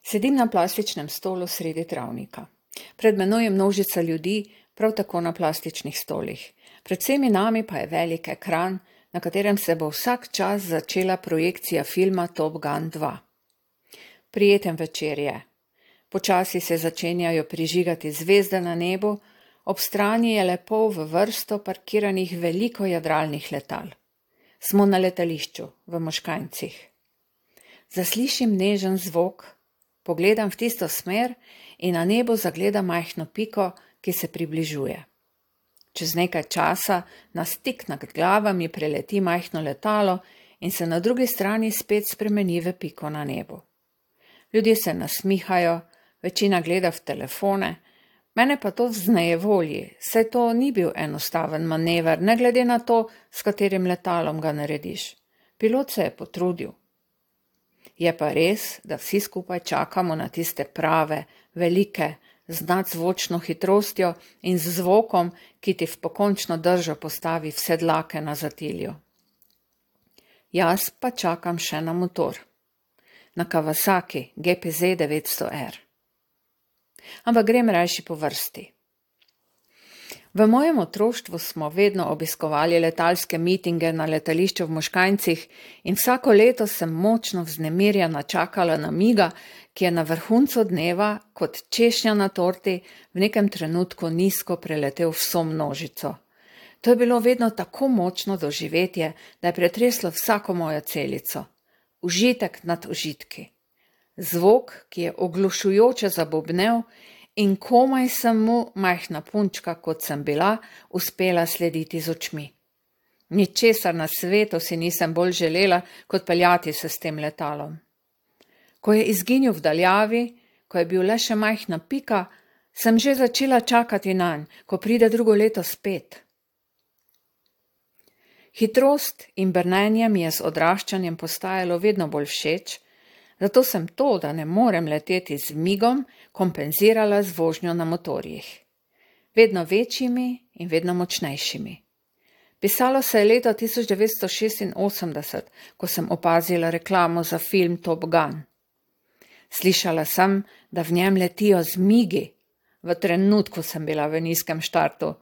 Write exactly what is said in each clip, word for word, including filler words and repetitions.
Sedim na plastičnem stolu sredi travnika. Pred menoj je množica ljudi, prav tako na plastičnih stolih. Pred vsemi nami pa je velik ekran, na katerem se bo vsak čas začela projekcija filma Top Gun dva. Prijeten večer je. Počasi se začenjajo prižigati zvezde na nebu, ob strani je lepo v vrsto parkiranih veliko jadralnih letal. Smo na letališču, v Moškanjcih. Zaslišim nežen zvok, pogledam v tisto smer in na nebu zagledam majhno piko, ki se približuje. Čez nekaj časa na stik nad glavami preleti majhno letalo in se na drugi strani spet spremeni v piko na nebu. Ljudje se nasmihajo, večina gleda v telefone, mene pa to vznejevolji, saj to ni bil enostaven manever, ne glede na to, s katerim letalom ga narediš. Pilot se je potrudil. Je pa res, da vsi skupaj čakamo na tiste prave, velike, z nadzvočno hitrostjo in z zvokom, ki ti v pokončno držo postavi vse dlake na zatilju. Jaz pa čakam še na motor. Na Kawasaki G P Z devetsto R. Ampak grem rajši po vrsti. V mojem otroštvu smo vedno obiskovali letalske mitinge na letališču v Moškanjcih in vsako leto sem močno vznemirjena čakala na miga, ki je na vrhuncu dneva, kot češnja na torti, v nekem trenutku nizko preletel vso množico. To je bilo vedno tako močno doživetje, da je pretreslo vsako mojo celico. Užitek nad užitki. Zvok, ki je oglušujoče zabobnel, in komaj sem mu, majhna punčka, kot sem bila, uspela slediti z očmi. Ničesar na svetu si nisem bolj želela, kot peljati se s tem letalom. Ko je izginil v daljavi, ko je bil le še majhna pika, sem že začela čakati nanj, ko pride drugo leto spet. Hitrost in brnenje mi je z odraščanjem postajalo vedno bolj všeč, zato sem to, da ne morem leteti z migom, kompenzirala z vožnjo na motorjih. Vedno večjimi in vedno močnejšimi. Pisalo se je leta tisoč devetsto šestinosemdeset, ko sem opazila reklamo za film Top Gun. Slišala sem, da v njem letijo zmigi. V trenutku sem bila v nizkem štartu.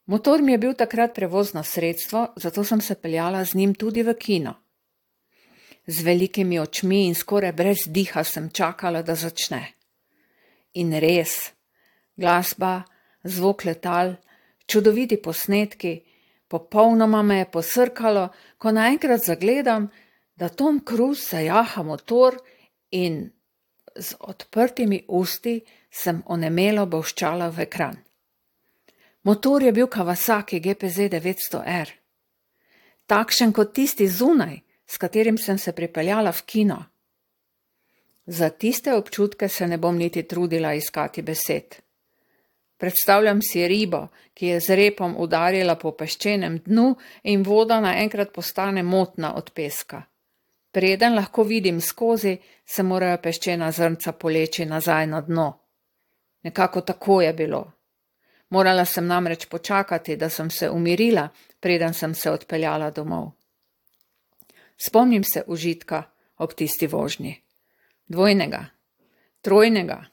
Motor mi je bil takrat prevozno sredstvo, zato sem se peljala z njim tudi v kino. Z velikimi očmi in skoraj brez diha sem čakala, da začne. In res, glasba, zvok letal, čudoviti posnetki, popolnoma me je posrkalo, ko naenkrat zagledam, da Tom Cruise zajaha motor in z odprtimi usti sem onemelo bolščala v ekran. Motor je bil Kawasaki G P Z devetsto R. Takšen kot tisti zunaj, s katerim sem se pripeljala v kino. Za tiste občutke se ne bom niti trudila iskati besed. Predstavljam si ribo, ki je z repom udarila po peščenem dnu in voda naenkrat postane motna od peska. Preden lahko vidim skozi, se morajo peščena zrnca poleči nazaj na dno. Nekako tako je bilo. Morala sem namreč počakati, da sem se umirila, preden sem se odpeljala domov. Spomnim se užitka ob tisti vožnji. Dvojnega, trojnega.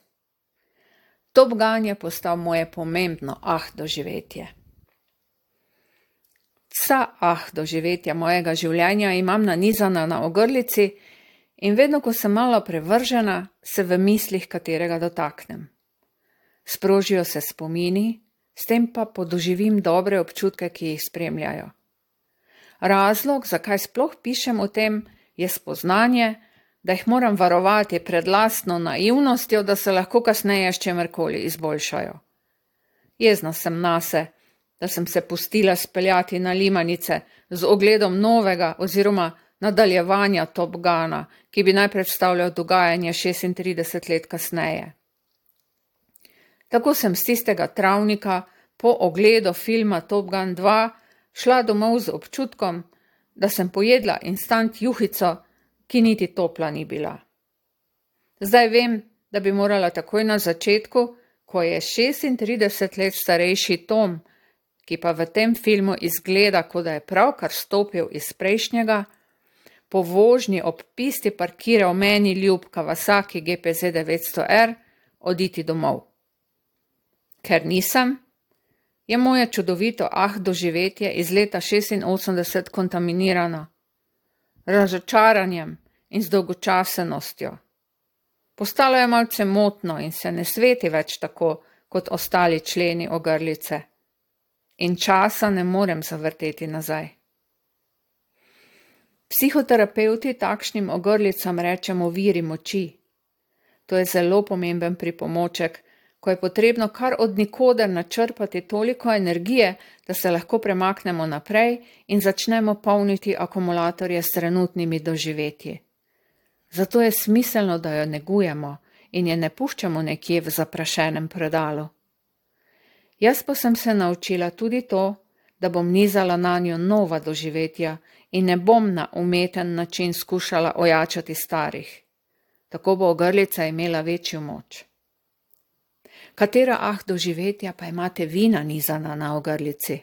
Top Gun je postal moje pomembno ah doživetje. Vsa ah doživetja mojega življenja imam nanizana na ogrlici in vedno, ko sem malo prevržena, se v mislih katerega dotaknem. Sprožijo se spomini, s tem pa podoživim dobre občutke, ki jih spremljajo. Razlog, zakaj sploh pišem o tem, je spoznanje, da jih moram varovati pred lastno naivnostjo, da se lahko kasneje s čemerkoli izboljšajo. Jezna sem nase, da sem se pustila speljati na limanice z ogledom novega oziroma nadaljevanja Top Guna, ki bi naj predstavljal dogajanje šestintrideset let kasneje. Tako sem z tistega travnika po ogledu filma Top Gun dva šla domov z občutkom, da sem pojedla instant juhico, ki niti topla ni bila. Zdaj vem, da bi morala takoj na začetku, ko je šestintrideset let starejši Tom, ki pa v tem filmu izgleda, kot da je pravkar stopil iz prejšnjega, po vožnji ob pisti parkiral meni ljub Kawasaki G P Z devetsto R, oditi domov. Ker nisem, je moje čudovito ah doživetje iz leta šestinosemdeset kontaminirano, razočaranjem in z dolgočasenostjo. Postalo je malce motno in se ne sveti več tako, kot ostali členi ogrlice. In časa ne morem zavrteti nazaj. Psihoterapevti takšnim ogrlicam rečemo viri moči. To je zelo pomemben pripomoček, ko je potrebno kar od nikoder načrpati toliko energije, da se lahko premaknemo naprej in začnemo polniti akumulatorje s trenutnimi doživetji. Zato je smiselno, da jo negujemo in je ne puščamo nekje v zaprašenem predalu. Jaz pa sem se naučila tudi to, da bom nizala nanjo nova doživetja in ne bom na umeten način skušala ojačati starih. Tako bo ogrlica imela večjo moč. Katera ah doživetja pa imate vi nanizana na ogrlici?